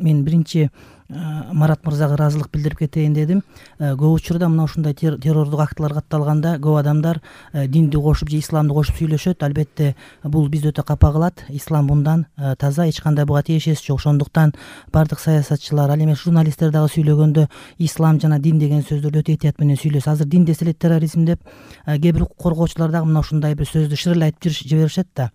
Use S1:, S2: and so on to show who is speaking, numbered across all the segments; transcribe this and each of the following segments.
S1: Мен биринчи Марат мырзага ыраазылык билдирип кетейин дедим. Көп учурда мына ушундай террордук актылар катталганда көп адамдар динди кошуп же исламды кошуп сүйлөшөт. Албетте бул бизди өтө капа кылат. Ислам мындан таза, эч кандай буга тиешеси жок. Ошондуктан бардык саясатчылар, ал эми журналисттер дагы сүйлөгөндө ислам жана дин деген сөздөрдү өтө этият менен сүйлөсүз. Азыр дин десе эле терроризм деп кээ бир укук коргоочулар дагы мына ушундай бир сөздү шырылдап айтып жиберишет да.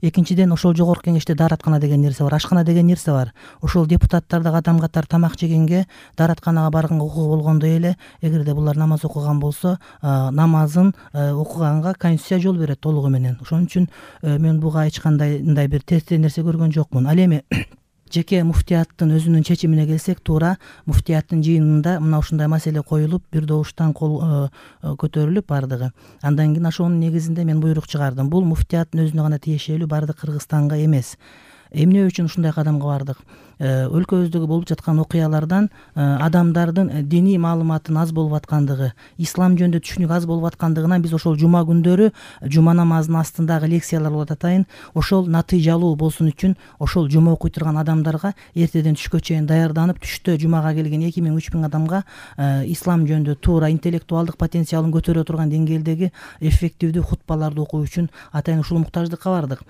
S1: Экинчиден, ошол жогорку кеңеште даараткана деген нерсе бар, ашкана деген нерсе бар. Ошол депутаттар дагы адам катары тамак жегенге, дааратканага барганга укугу болгондой эле, эгерде булар намаз окуган болсо, намазын окуганга Конституция жол берет толугу менен. Ошон үчүн мен буга эч кандай мындай бир терстей нерсе көргөн жокмун. Ал эми жеке муфтияттын өзүнүн чечимине келсек, туура муфтияттын жыйынында мына ушундай маселе коюлуп, бир добуштан кол көтөрүлүп бардыгы. Андан кийин ошонун негизинде мен буйрук чыгардым. Бул муфтияттын өзүнө гана тиешелүү, бардык Кыргызстанга эмес. Эмне үчүн ушундай кадамга бардык? Өлкөбүздөгү болуп жаткан окуялардан адамдардын диний маалыматын аз болуп аткандыгы, ислам жөнүндө түшүнүк аз болуп аткандыгынан биз ошол жума күндөрү жума намазынын астындагы лекциялар болуп атайын, ошол натыйжалуу болсун үчүн ошол жума окуй турган адамдарга эртеден түшкө чейин даярданып, түштө жумага келген 2000-3000 адамга ислам жөнүндө туура интеллектуалдык потенциалын көтөрө турган деңгээлдеги эффективдүү хутбаларды окуу үчүн атайын ушул муктаждыкка бардык.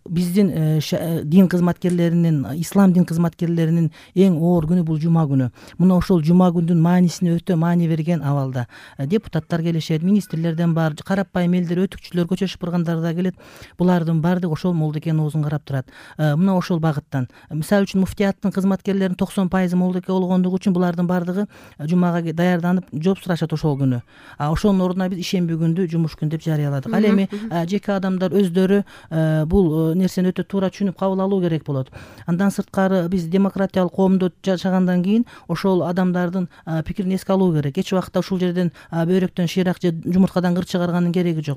S1: Биздин дин кызматкерлеринин, ислам дин кызматкерлеринин эң оор күнү бул жума күнү. Мына ошол жума күндүн маанисине өтө маани берген абалда депутаттар келишет, министрлерден бар, карапайым элдер, өтүкчүлөр, көчө шыпыргандар келет. Булардын баардыгы ошол молдоке оозун карап турат. Мына ошол багыттан. Мисалы үчүн муфтияттын кызматкерлеринин 90% молдоке болгондугу үчүн булардын баардыгы жумага даярданып жооп сурашат ошол күнү. Ошонун ордуна биз ишемби күндү жумуш күн деп жарыяладык. Ал эми жеке адамдар өздөрү бул нерсени өтө туура түшүнүп кабыл алуу керек болот. Андан сырткары биз демократиялык коомдо жашагандан кийин ошол адамдардын пикирин эске алуу керек. Эч убакта ушул жерден бөйрөктөн шыйрак же жумурткадан кыр чыгарганын кереги жок.